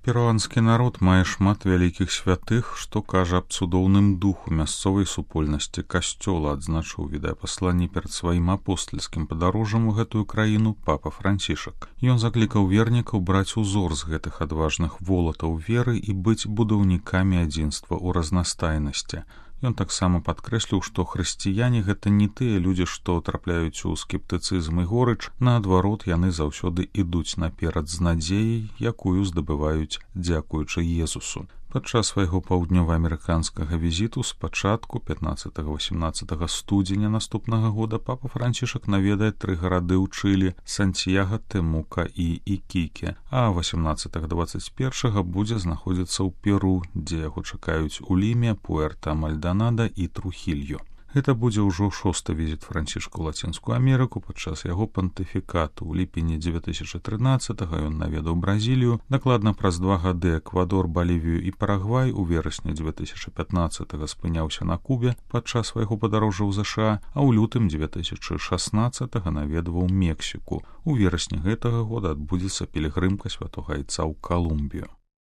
Перуанскі народ мае шмат вялікіх святых, што кажа аб цудоўным духу мясцовай супольнасці касцёла, адзначыў відэапасланні перад сваім апостальскім падарожжам у гэтую краіну папа Францішак. Ён заклікаў вернікаў браць узор з гэтых адважных волатаў веры і быць будаўнікамі адзінства ў разнастайнасці. Ён таксама падкрэсліў, што хрысціяне гэта не тыя людзі, што трапляюць у скептыцызм і горыч, наадварот, яны заўсёды ідуць наперад з надзеяй, якую здабываюць дзякуючы Езусу. Падчас свайго паўднёва-амерыканскага візіту з пачатку 15-18 студзеня наступнага года папа Францішак наведае 3 гарады ў Чылі – Сантьяга, Темука і Ікіке, а 18-21 будзе знаходзіцца ў Перу, дзе яго чакаюць у Ліме, Пуэрта-Мальдонада і Трухільо. Гэта будзе ўжо 6-ы візіт Францішка ў Лацінскую Амерыку падчас яго пантыфікату. У ліпені 2013-го ён наведаў Бразілію, дакладна праз 2 гады Эквадор, Балівію і Парагвай, у верасні 2015-го спыняўся на Кубе падчас свайго падарожжа ў ЗША, а ў лютым 2016-го наведваў Мексіку. У верасні гэтага года адбудзецца пілігрымка святога Айца ў Калумбію.